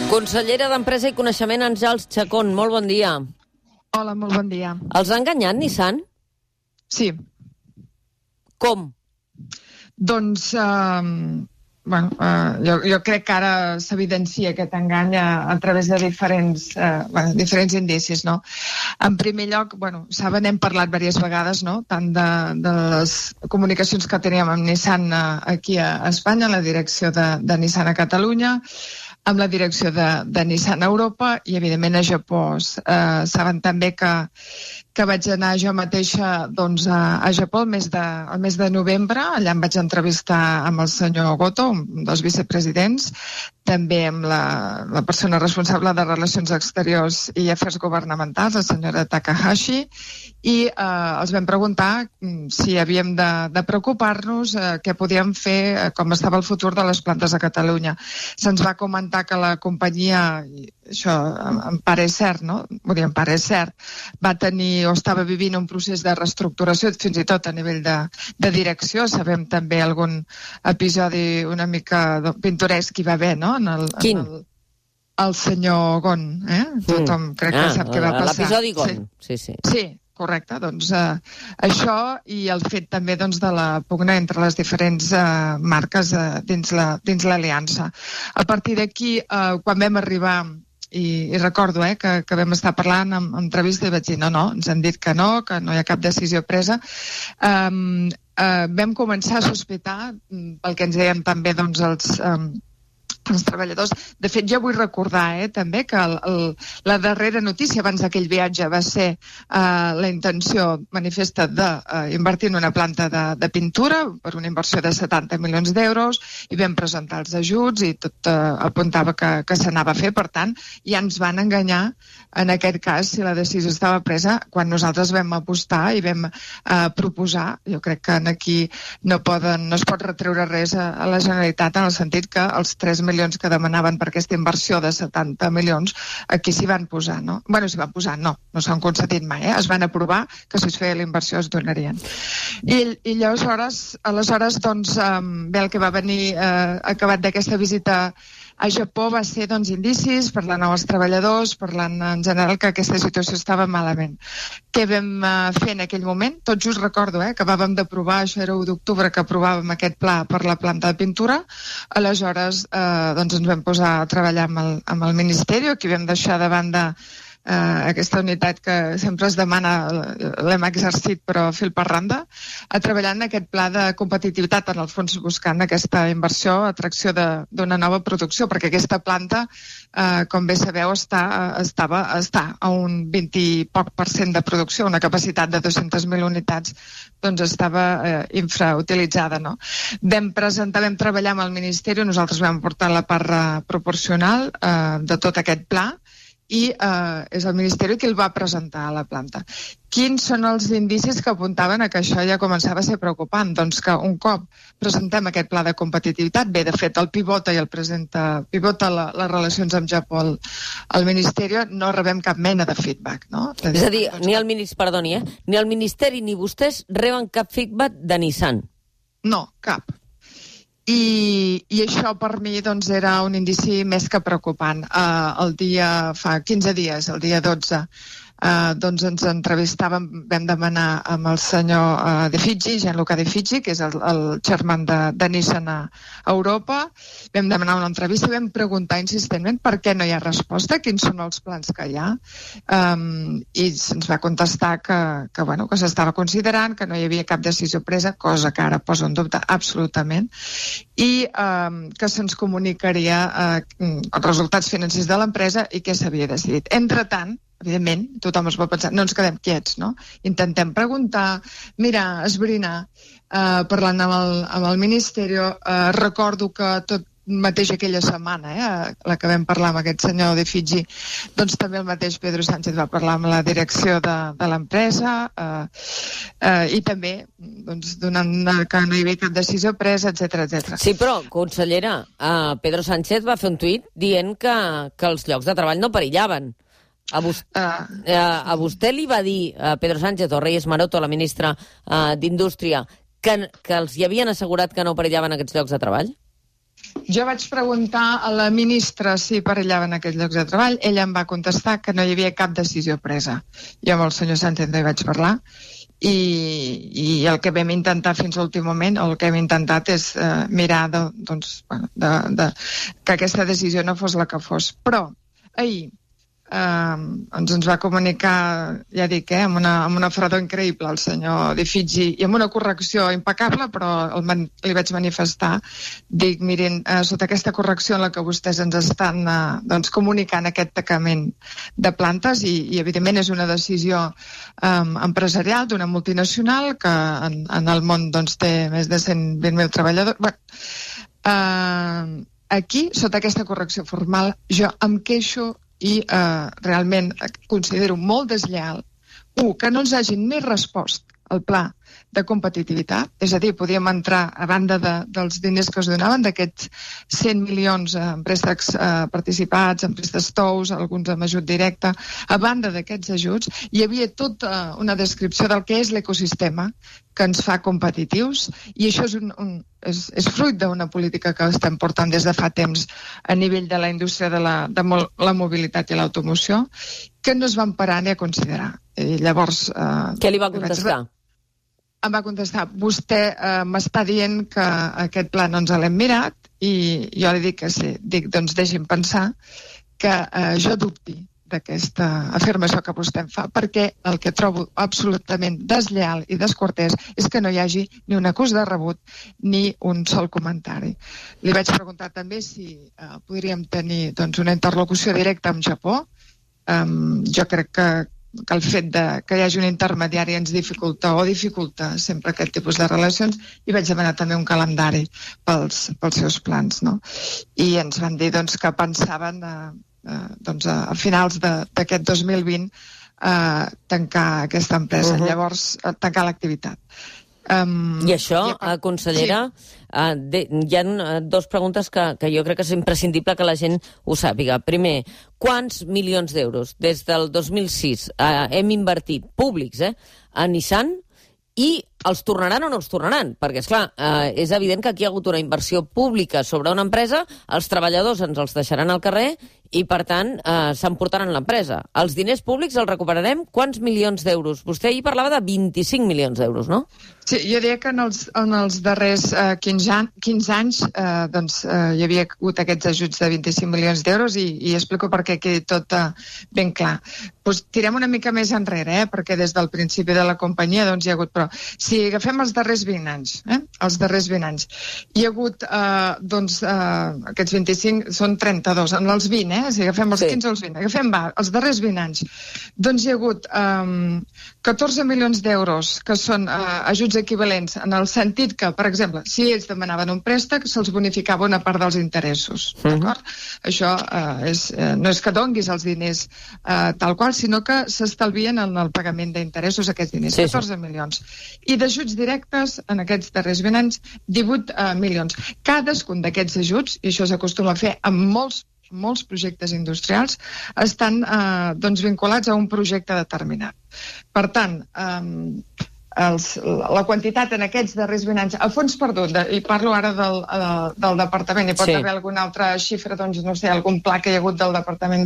Consellera d'Empresa i Coneixement, Àngels Chacón, molt bon dia. Hola, molt bon dia. Els ha enganyat Nissan? Sí. Com? Doncs, jo crec que ara s'evidencia aquest engany a través de diferents indicis, no? En primer lloc, saben, hem parlat diverses vegades, no?, tant de les comunicacions que teníem amb Nissan aquí a Espanya, la direcció de Nissan a Catalunya, amb la direcció de Nissan a Europa i, evidentment, a Japó. Saben també que vaig anar jo mateixa a Japó el mes de novembre. Allà em vaig entrevistar amb el senyor Goto, un dels vicepresidents, també amb la persona responsable de Relacions Exteriors i Afers Governamentals, la senyora Takahashi, i els vam preguntar si havíem de preocupar-nos, què podíem fer, com estava el futur de les plantes a Catalunya. Se'ns va comentar que la companyia, això em pare cert, no? Em pare cert, va tenir o estava vivint un procés de reestructuració, fins i tot a nivell de direcció. Sabem també algun episodi una mica pintoresc que hi va haver, no? Quin? El senyor Gon, Tothom crec que sap què va passar. L'episodi Gon, sí. Sí, correcte. Doncs això i el fet també de la pugna entre les diferents marques dins l'aliança. A partir d'aquí, quan vam arribar, i recordo que vam estar parlant en entrevista i vaig dir no, ens han dit que no hi ha cap decisió presa, vam començar a sospitar, pel que ens deien també els treballadors. De fet, jo vull recordar també que la darrera notícia abans d'aquell viatge va ser la intenció manifesta d'invertir en una planta de pintura per una inversió de 70 milions d'euros i vam presentar els ajuts i tot apuntava que s'anava a fer. Per tant, ja ens van enganyar en aquest cas si la decisió estava presa quan nosaltres vam apostar i vam proposar. Jo crec que aquí no es pot retreure res a la Generalitat en el sentit que els 3 milions que demanaven per aquesta inversió de 70 milions, aquí s'hi van posar, no? S'hi van posar, no s'han concedit mai, es van aprovar que si es feia la inversió es donarien. I aleshores, bé, el que va venir acabat d'aquesta visita a Japó va ser indicis, parlant amb els treballadors, parlant en general que aquesta situació estava malament. Què vam fer en aquell moment? Tot just recordo que acabàvem d'aprovar, això era 1 d'octubre que aprovàvem aquest pla per la planta de pintura, aleshores ens vam posar a treballar amb el Ministeri, aquí vam deixar de banda aquesta unitat que sempre es demana, l'hem exercit però fil per randa, a treballar en aquest pla de competitivitat, en el fons buscant aquesta inversió, atracció d'una nova producció, perquè aquesta planta, com bé sabeu, està a un 20 i poc % de producció, una capacitat de 200.000 unitats, estava infrautilitzada, no? Vam treballar amb el Ministeri, nosaltres vam portar la part proporcional de tot aquest pla, i és el Ministeri qui el va presentar a la planta. Quins són els indicis que apuntaven a que això ja començava a ser preocupant? Doncs que un cop presentem aquest pla de competitivitat, bé, de fet, el pivota i el presenta, pivota les relacions amb Japó al Ministeri, no rebem cap mena de feedback, no? És a dir, ni el Ministeri ni vostès reben cap feedback de Nissan? No, cap. I això per mi era un indici més que preocupant. Fa 15 dies, el dia 12, ens entrevistàvem, vam demanar amb el senyor De Figi, Gianluca De Figi, que és el chairman de Nissan a Europa. Vam demanar una entrevista i vam preguntar insistentment per què no hi ha resposta, quins són els plans que hi ha. I se'ns va contestar que s'estava considerant, que no hi havia cap decisió presa, cosa que ara posa en dubte absolutament, i que se'ns comunicaria els resultats financers de l'empresa i què s'havia decidit. Entretant, evidentment, tothom es pot pensar, no ens quedem quiets, no? Intentem preguntar, mirar, esbrinar, parlant amb el Ministeri. Recordo que tot mateix aquella setmana, la que vam parlar amb aquest senyor De Figi, també el mateix Pedro Sánchez va parlar amb la direcció de l'empresa i també donant que no hi havia cap decisió presa, etc. Sí, però, consellera, Pedro Sánchez va fer un tuit dient que els llocs de treball no perillaven. A vostè li va dir Pedro Sánchez o Reyes Maroto, la ministra d'Indústria, que els hi havien assegurat que no perillaven aquests llocs de treball? Jo vaig preguntar a la ministra si perillaven aquests llocs de treball. Ella em va contestar que no hi havia cap decisió presa. Jo amb el senyor Sánchez no hi vaig parlar i el que vam intentar fins a l'últim moment, el que hem intentat és mirar que aquesta decisió no fos la que fos. Però ahir ens va comunicar, ja dic, amb una fredor increïble el senyor De Figi i amb una correcció impecable, però li vaig manifestar, dic, mirin, sota aquesta correcció en la que vostès ens estan comunicant aquest tancament de plantes i evidentment és una decisió empresarial d'una multinacional que en el món té més de 120.000 treballadors. Aquí, sota aquesta correcció formal, jo em queixo i realment considero molt deslleial que no ens hagin ni respost al pla de competitivitat, és a dir, podíem entrar a banda dels diners que es donaven, d'aquests 100 milions en préstecs participats, en préstecs tous, alguns amb ajut directe, a banda d'aquests ajuts, hi havia tota una descripció del que és l'ecosistema que ens fa competitius i això és fruit d'una política que estem portant des de fa temps a nivell de la indústria de la mobilitat i l'automoció, que no es van parar ni a considerar. I llavors... Què li va contestar? Em va contestar, vostè m'està dient que aquest pla no ens l'hem mirat i jo li dic que sí. Dic, doncs deixi'm pensar que jo dubti d'aquesta afirmació que vostè em fa, perquè el que trobo absolutament deslleial i descortès és que no hi hagi ni un acús de rebut ni un sol comentari. Li vaig preguntar també si podríem tenir una interlocució directa amb Japó. Jo crec que el fet que hi hagi un intermediari ens dificulta sempre aquest tipus de relacions i vaig demanar també un calendari pels seus plans, no? I ens van dir que pensaven a finals d'aquest 2020 tancar aquesta empresa, llavors tancar l'activitat. I això, consellera, hi ha dues preguntes que jo crec que és imprescindible que la gent ho sàpiga. Primer, quants milions d'euros des del 2006 hem invertit públics a Nissan i els tornaran o no els tornaran? Perquè, esclar, és evident que aquí hi ha hagut una inversió pública sobre una empresa, els treballadors ens els deixaran al carrer i, per tant, s'emportaran l'empresa. Els diners públics els recuperarem? Quants milions d'euros? Vostè ahir parlava de 25 milions d'euros, no? Sí, jo diria que en els darrers 15 anys hi havia hagut aquests ajuts de 25 milions d'euros i explico perquè quedi tot ben clar. Tirem una mica més enrere, perquè des del principi de la companyia hi ha hagut... Però si agafem els darrers 20 anys, hi ha hagut aquests 25, són 32, en els 20, si agafem els 15 o els 20, agafem els darrers 20 anys, doncs hi ha hagut 14 milions d'euros que són ajuts equivalents en el sentit que, per exemple, si ells demanaven un préstec, se'ls bonificava una part dels interessos, d'acord? Això no és que donguis els diners tal qual, sinó que s'estalvien en el pagament d'interessos aquests diners, 14 milions. I d'ajuts directes, en aquests darrers 20 anys, 18 milions. Cadascun d'aquests ajuts, i això s'acostuma a fer amb molts projectes industrials, estan vinculats a un projecte determinat. Per tant, la quantitat en aquests darrers 20 anys, a fons perdut, i parlo ara del departament, hi pot haver alguna altra xifra, no sé, algun pla que hi ha hagut del departament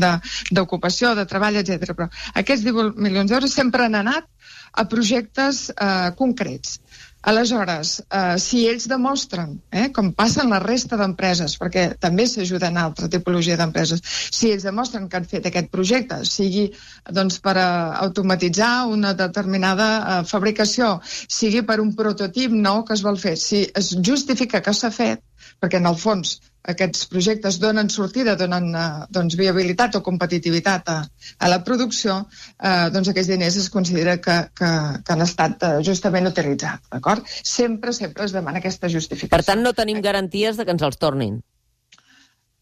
d'ocupació, de treball, etc. Però aquests 18 milions d'euros sempre han anat a projectes concrets. Aleshores, si ells demostren, com passa en la resta d'empreses, perquè també s'ajuden a altra tipologia d'empreses, si ells demostren que han fet aquest projecte, sigui per automatitzar una determinada fabricació, sigui per un prototip nou que es vol fer, si es justifica que s'ha fet, perquè en el fons aquests projectes donen sortida, donen viabilitat o competitivitat a la producció, aquests diners es considera que han estat justament utilitzats, d'acord? Sempre es demana aquesta justificació. Per tant, no tenim garanties de que ens els tornin.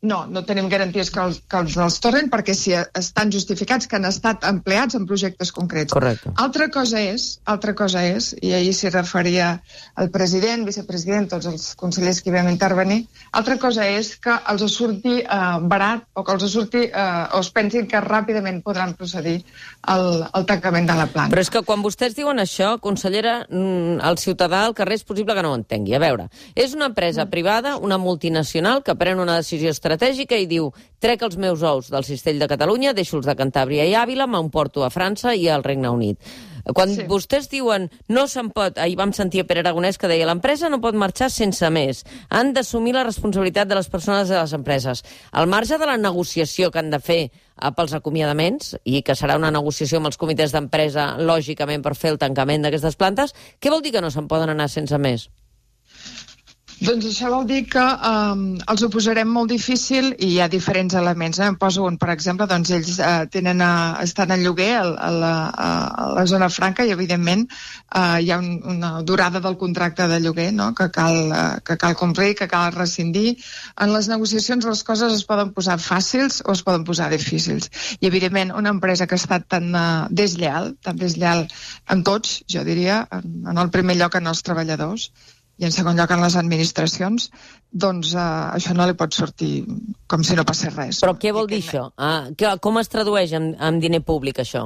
No tenim garanties que els tornen, perquè si estan justificats que han estat empleats en projectes concrets. Correcte. Altra cosa és, i ahir s'hi referia el president, vicepresident, tots els consellers que hi vam intervenir, altra cosa és que els surti barat o que els surti o es pensin que ràpidament podran procedir al tancament de la planta. Però és que quan vostès diuen això, consellera, el ciutadà al carrer és possible que no ho entengui. A veure, és una empresa privada, una multinacional, que pren una decisió estratègica i diu: trec els meus ous del cistell de Catalunya, deixo els de Cantàbria i Àvila, m'emporto a França i al Regne Unit. Quan vostès diuen no se'n pot, ahir vam sentir a Pere Aragonès que deia l'empresa no pot marxar sense més, han d'assumir la responsabilitat de les persones de les empreses. Al marge de la negociació que han de fer pels acomiadaments, i que serà una negociació amb els comitès d'empresa, lògicament, per fer el tancament d'aquestes plantes, què vol dir que no se'n poden anar sense més? Doncs això vol dir que els ho posarem molt difícil i hi ha diferents elements. En poso un, per exemple, doncs ells estan en lloguer a la zona franca i, evidentment, hi ha una durada del contracte de lloguer, no?, que cal complir, que cal rescindir. En les negociacions les coses es poden posar fàcils o es poden posar difícils. I, evidentment, una empresa que ha estat tan deslleal amb tots, jo diria, en el primer lloc en els treballadors, i en segon lloc en les administracions, doncs això no li pot sortir com si no passés res. Però què vol dir això? Com es tradueix en diner públic, això?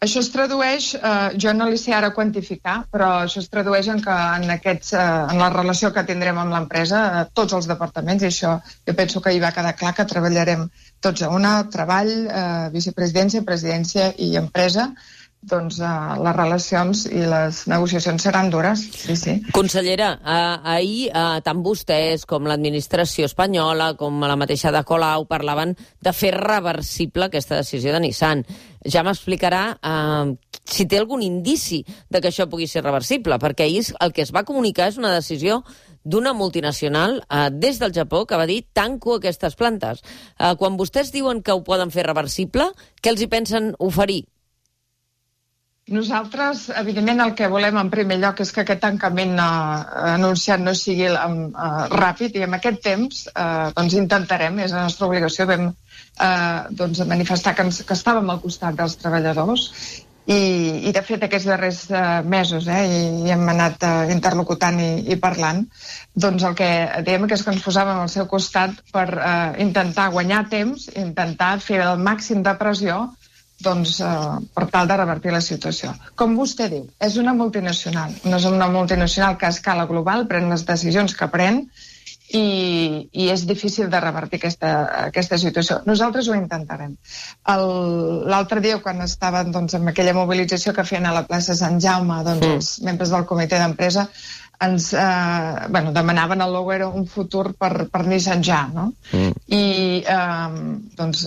Això es tradueix, jo no li sé ara quantificar, però això es tradueix en la relació que tindrem amb l'empresa, tots els departaments, i això jo penso que hi va quedar clar que treballarem tots a una, treball, vicepresidència, presidència i empresa. Doncs les relacions i les negociacions seran dures, sí. Consellera, ahir tant vostès com l'administració espanyola, com la mateixa de Colau, parlaven de fer reversible aquesta decisió de Nissan. Ja m'explicarà si té algun indici de que això pugui ser reversible, perquè ahir el que es va comunicar és una decisió d'una multinacional des del Japó que va dir tanco aquestes plantes. Quan vostès diuen que ho poden fer reversible, què els hi pensen oferir? Nosaltres, evidentment, el que volem en primer lloc és que aquest tancament anunciat no sigui ràpid, i en aquest temps doncs intentarem, és la nostra obligació, vam manifestar que estàvem al costat dels treballadors i de fet aquests darrers mesos i hem anat interlocutant i parlant, doncs el que dèiem és que ens posàvem al seu costat per intentar guanyar temps, intentar fer el màxim de pressió per tal de revertir la situació. Com vostè diu, és una multinacional. No és una multinacional que a escala global pren les decisions que pren i és difícil de revertir aquesta situació. Nosaltres ho intentarem. L'altre dia, quan estaven en aquella mobilització que feien a la plaça Sant Jaume, els membres del comitè d'empresa ens demanaven al Loguero un futur per Nissan ja, no? I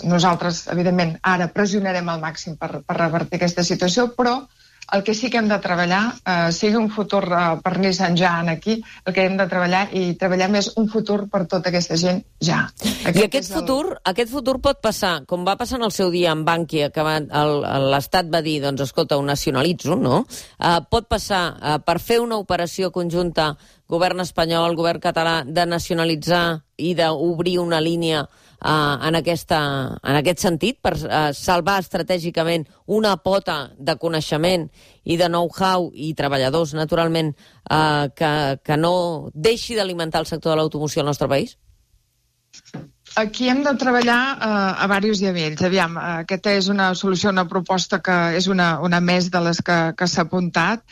nosaltres, evidentment, ara pressionarem al màxim per revertir aquesta situació, però el que sí que hem de treballar, sigui un futur per Nissan ja aquí, el que hem de treballar i treballar més un futur per tota aquesta gent ja. I aquest futur pot passar, com va passar en el seu dia amb Bankia, que l'Estat va dir, doncs escolta, ho nacionalitzo, no? Pot passar per fer una operació conjunta, govern espanyol, govern català, de nacionalitzar i d'obrir una línia en aquest sentit, per salvar estratègicament una pota de coneixement i de know-how i treballadors, naturalment, que no deixi d'alimentar el sector de l'automoció al nostre país? Aquí hem de treballar a diversos nivells. Aviam, aquesta és una solució, una proposta que és una més de les que s'ha apuntat.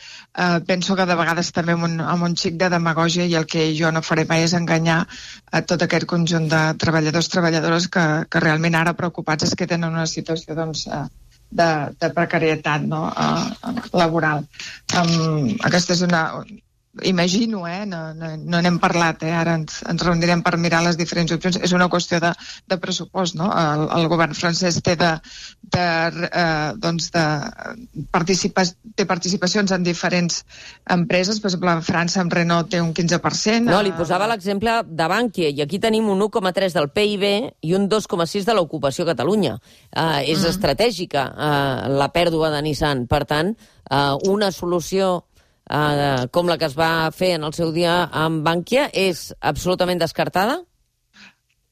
Penso que de vegades també amb un xic de demagògia, i el que jo no faré mai és enganyar a tot aquest conjunt de treballadors, treballadores que realment ara preocupats es queden en una situació de precarietat laboral. Aquesta és una... Imagino, no n'hem parlat, ara ens reunirem per mirar les diferents opcions. És una qüestió de pressupost, no? El govern francès té participacions en diferents empreses. Per exemple, a França, amb Renault, té un 15%. No, li posava l'exemple de Bankia, i aquí tenim un 1,3 del PIB i un 2,6 de l'ocupació a Catalunya. És estratègica la pèrdua de Nissan. Per tant, una solució com la que es va fer en el seu dia amb Bankia és absolutament descartada?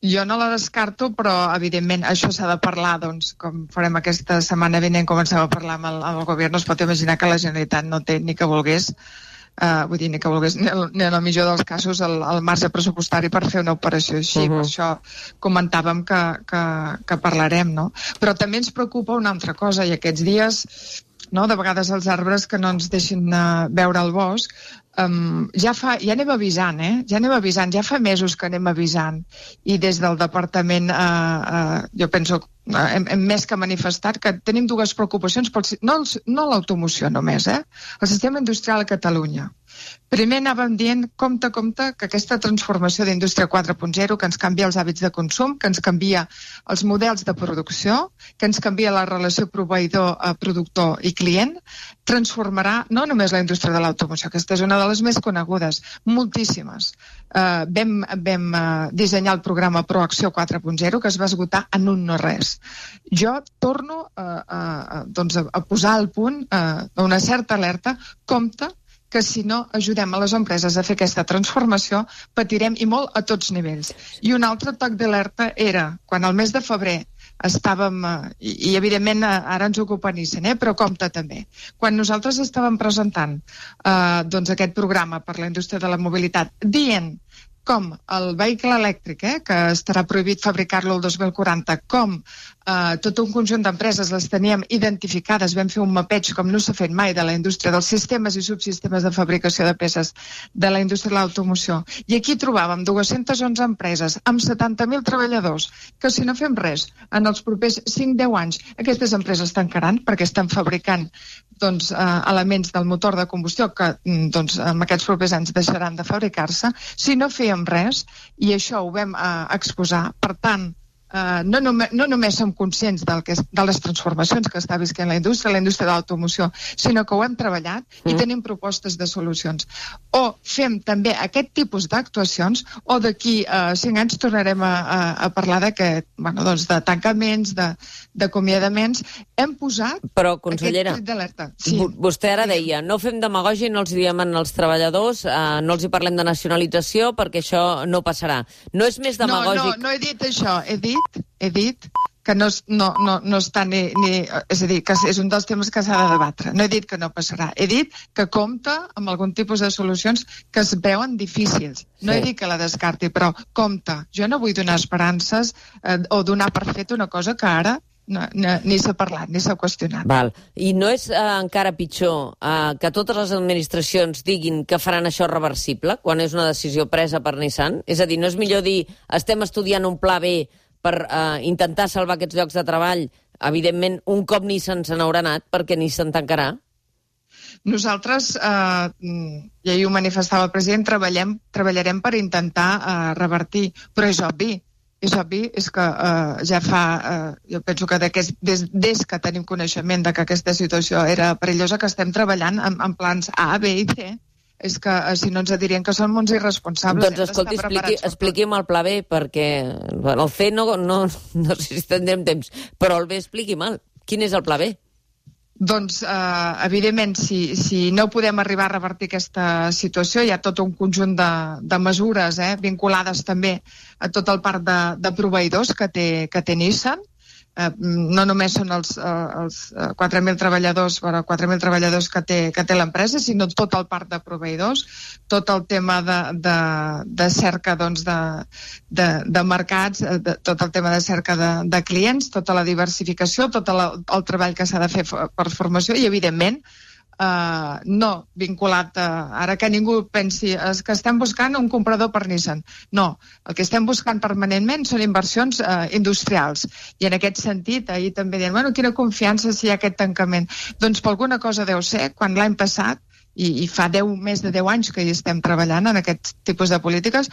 Jo no la descarto, però, evidentment, això s'ha de parlar, doncs, com farem aquesta setmana vinent, comencem a parlar amb el govern. No es pot imaginar que la Generalitat no té ni que volgués, ni en el millor dels casos, el marge pressupostari per fer una operació així. Per això comentàvem que parlarem, no? Però també ens preocupa una altra cosa, i aquests dies, no, de vegades els arbres que no ens deixin veure el bosc, ja anem avisant, ja fa mesos que anem avisant, i des del departament jo penso hem més que manifestat que tenim dues preocupacions, no l'automoció només, el sistema industrial a Catalunya. Primer anàvem dient, compte, que aquesta transformació d'indústria 4.0, que ens canvia els hàbits de consum, que ens canvia els models de producció, que ens canvia la relació proveïdor, productor i client, transformarà no només la indústria de l'automoció, aquesta és una de les més conegudes, moltíssimes. Vam dissenyar el programa Proacció 4.0, que es va esgotar en un no res. Jo torno a posar al punt una certa alerta, compte, que si no ajudem a les empreses a fer aquesta transformació, patirem, i molt, a tots nivells. I un altre toc d'alerta era, quan al mes de febrer estàvem, i evidentment ara ens ocupa Nissan, però compte també, quan nosaltres estàvem presentant aquest programa per la indústria de la mobilitat, dient com el vehicle elèctric, que estarà prohibit fabricar-lo el 2040, com tot un conjunt d'empreses les teníem identificades, vam fer un mapeig com no s'ha fet mai de la indústria, dels sistemes i subsistemes de fabricació de peces de la indústria de l'automoció. I aquí trobàvem 211 empreses amb 70.000 treballadors, que si no fem res, en els propers 5-10 anys, aquestes empreses tancaran perquè estan fabricant elements del motor de combustió que en aquests propers anys deixaran de fabricar-se. Si no fèiem res, i això ho vam exposar, per tant, no només som conscients de les transformacions que està visquent la indústria de l'automoció, sinó que ho hem treballat i tenim propostes de solucions. O fem també aquest tipus d'actuacions, o d'aquí 5 anys tornarem a parlar de tancaments, d'acomiadaments. Hem posat consellera, aquest crit d'alerta. Sí. Vostè ara deia, no fem demagògia i no els diem als treballadors, no els hi parlem de nacionalització perquè això no passarà. No és més demagògic... No he dit això, he dit que no està ni... És a dir, que és un dels temes que s'ha de debatre. No he dit que no passarà. He dit que compta amb algun tipus de solucions que es veuen difícils. No he dit que la descarti, però compta. Jo no vull donar esperances o donar per fet una cosa que ara ni s'ha parlat, ni s'ha qüestionat. Val. I no és encara pitjor que totes les administracions diguin que faran això reversible quan és una decisió presa per Nissan? És a dir, no és millor dir estem estudiant un pla B per intentar salvar aquests llocs de treball? Evidentment, un cop Nissan se n'haurà anat, perquè Nissan tancarà? Nosaltres, i ahir ho manifestava el president, treballarem per intentar revertir, però és obvi, és que ja fa, jo penso que des que tenim coneixement de que aquesta situació era perillosa, que estem treballant en plans A, B i C. És que si no ens dirien que som uns irresponsables. Doncs escolti, expliqui'm el pla B, perquè el C no sé si tindrem temps, però el B expliqui'm. Quin és el pla B? Doncs, evidentment, si no podem arribar a revertir aquesta situació, hi ha tot un conjunt de mesures vinculades també a tot el parc de proveïdors que té Nissan. No només són els 4.000 treballadors que té l'empresa, sinó tot el parc de proveïdors, tot el tema de cerca de mercats, tot el tema de cerca de clients, tota la diversificació, tot el treball que s'ha de fer per formació i, evidentment, no vinculat ara que ningú pensi que estem buscant un comprador per Nissan. No, el que estem buscant permanentment són inversions industrials. I en aquest sentit, ahir també deien, quina confiança si hi ha aquest tancament. Doncs per alguna cosa deu ser, quan l'any passat, i fa més de 10 anys que hi estem treballant en aquest tipus de polítiques,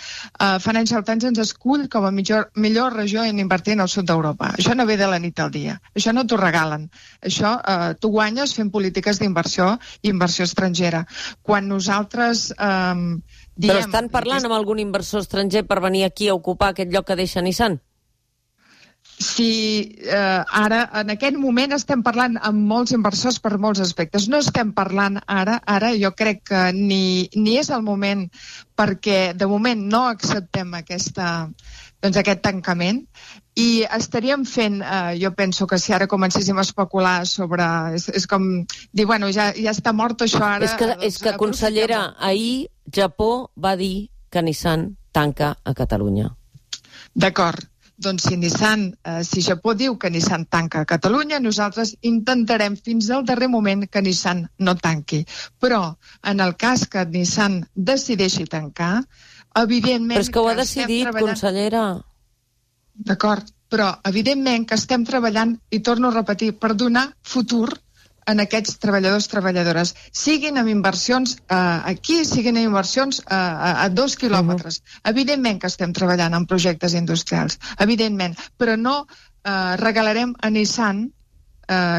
Financial Times ens escull com a millor regió en invertir en el sud d'Europa. Això no ve de la nit al dia, això no t'ho regalen, això tu guanyes fent polítiques d'inversió i inversió estrangera. Quan nosaltres diem... Però estan parlant amb algun inversor estranger per venir aquí a ocupar aquest lloc que deixa Nissan? si ara, en aquest moment, estem parlant amb molts inversors per molts aspectes. No estem parlant ara jo crec que ni és el moment, perquè de moment no acceptem aquest tancament, i estaríem fent, jo penso que si ara comencéssim a especular sobre... És com dir, bueno, ja està mort això ara... És que consellera, ahir Japó va dir que Nissan tanca a Catalunya. D'acord. Doncs si Japó diu que Nissan tanca a Catalunya, nosaltres intentarem fins al darrer moment que Nissan no tanqui. Però, en el cas que Nissan decideixi tancar, evidentment... Però és que ho ha decidit, consellera. D'acord, però evidentment que estem treballant, i torno a repetir, per donar futur en aquests treballadors-treballadores, siguin amb inversions aquí, siguin amb inversions a 2 quilòmetres. Evidentment que estem treballant en projectes industrials, evidentment, però no regalarem a Nissan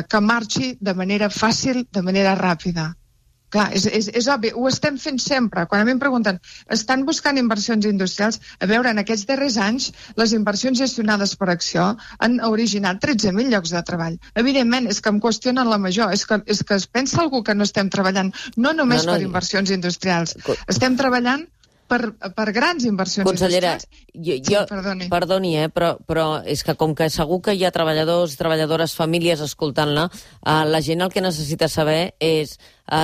que marxi de manera fàcil, de manera ràpida. Clar, és obvi, ho estem fent sempre. Quan a mi em pregunten, estan buscant inversions industrials? A veure, en aquests darrers anys, les inversions gestionades per Acció han originat 13.000 llocs de treball. Evidentment, és que em qüestionen la major. És que es pensa algú que no estem treballant no només per inversions industrials. Estem treballant per grans inversions industrials. Consellera, perdoni, però és que com que segur que hi ha treballadors, treballadores, famílies escoltant-la, la gent el que necessita saber és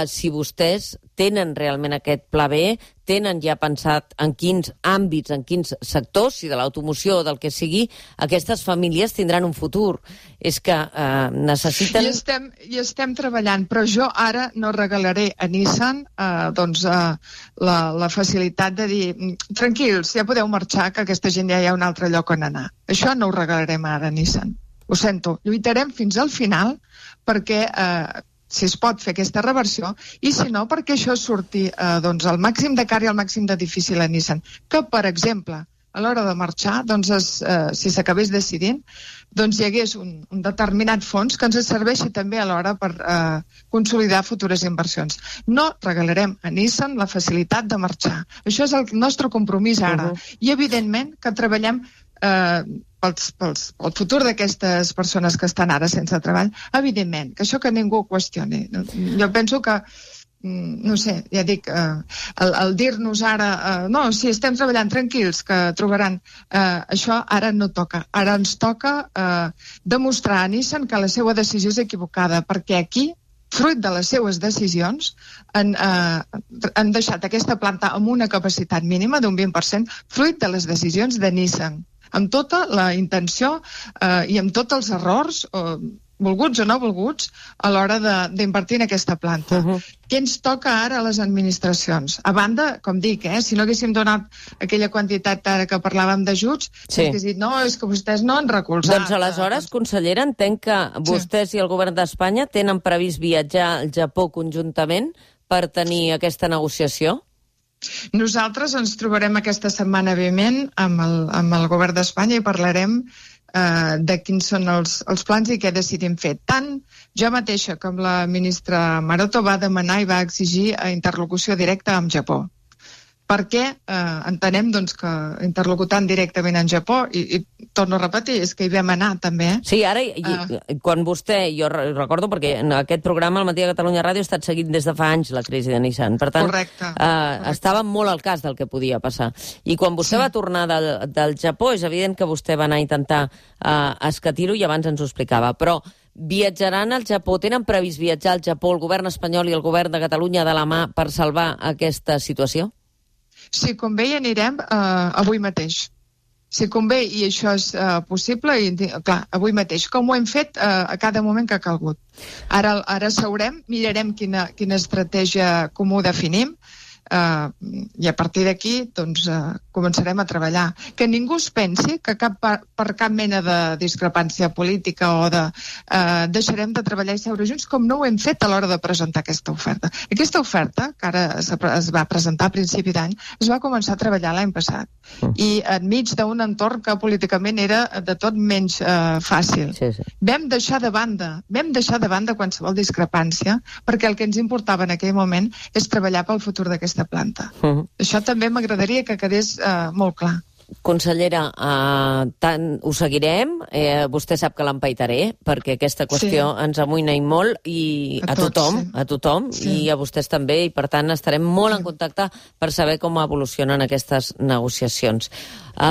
si vostès tenen realment aquest pla B, tenen ja pensat en quins àmbits, en quins sectors, si de l'automoció o del que sigui, aquestes famílies tindran un futur. És que necessiten... I estem treballant, però jo ara no regalaré a Nissan la facilitat de dir tranquils, ja podeu marxar, que aquesta gent ja hi ha un altre lloc on anar. Això no ho regalarem ara a Nissan. Ho sento. Lluitarem fins al final perquè... si es pot fer aquesta reversió, i si no, perquè això surti el màxim de car i el màxim de difícil a Nissan. Que, per exemple, a l'hora de marxar, si s'acabés decidint, hi hagués un determinat fons que ens serveixi també alhora per consolidar futures inversions. No regalarem a Nissan la facilitat de marxar. Això és el nostre compromís ara. I, evidentment, que treballem pel futur d'aquestes persones que estan ara sense treball, evidentment, que això que ningú qüestioni. Jo penso que, no sé, ja dic, el dir-nos ara, no, si estem treballant tranquils, que trobaran, això ara no toca. Ara ens toca demostrar a Nissan que la seva decisió és equivocada, perquè aquí, fruit de les seues decisions, han deixat aquesta planta amb una capacitat mínima d'un 20%, fruit de les decisions de Nissan, amb tota la intenció i amb tots els errors, volguts o no volguts, a l'hora d'invertir en aquesta planta. Què ens toca ara a les administracions? A banda, com dic, si no haguéssim donat aquella quantitat ara que parlàvem d'ajuts, s'hagués dit, no, és que vostès no han recolzat. Doncs aleshores, consellera, entenc que vostès i el govern d'Espanya tenen previst viatjar al Japó conjuntament per tenir aquesta negociació? Nosaltres ens trobarem aquesta setmana vinent amb el govern d'Espanya i parlarem de quins són els plans i què decidim fer. Tant jo mateixa com la ministra Maroto va demanar i va exigir interlocució directa amb Japó. Perquè entenem que interlocutant directament en Japó, i torno a repetir, és que hi vam anar també. Sí, ara, quan vostè, jo recordo perquè en aquest programa, al Matí de Catalunya Ràdio, ha estat seguit des de fa anys la crisi de Nissan. Per tant, estava molt al cas del que podia passar. I quan vostè va tornar del Japó, és evident que vostè va anar a intentar escatir-ho i abans ens ho explicava. Però viatjaran al Japó, tenen previst viatjar al Japó el govern espanyol i el govern de Catalunya de la mà per salvar aquesta situació? Si convé, hi anirem avui mateix. Si convé, i això és possible, clar, avui mateix, com ho hem fet a cada moment que ha calgut. Ara seurem, mirarem quina estratègia comú definim, i a partir d'aquí començarem a treballar. Que ningú es pensi que per cap mena de discrepància política o deixarem de treballar i seure junts, com no ho hem fet a l'hora de presentar aquesta oferta. Aquesta oferta, que ara es va presentar a principi d'any, es va començar a treballar l'any passat, i enmig d'un entorn que políticament era de tot menys fàcil. Vam deixar de banda qualsevol discrepància, perquè el que ens importava en aquell moment és treballar pel futur d'aquesta planta. Això també m'agradaria que quedés molt clar. Consellera, tant ho seguirem. Vostè sap que l'empaitaré, perquè aquesta qüestió ens amoïna i molt, i a tothom, i a vostès també, i per tant estarem molt en contacte per saber com evolucionen aquestes negociacions.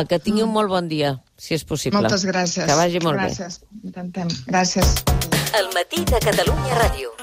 Que tingui un molt bon dia, si és possible. Moltes gràcies. Que vagi molt bé. Gràcies. Intentem. Gràcies. El matí de Catalunya Ràdio.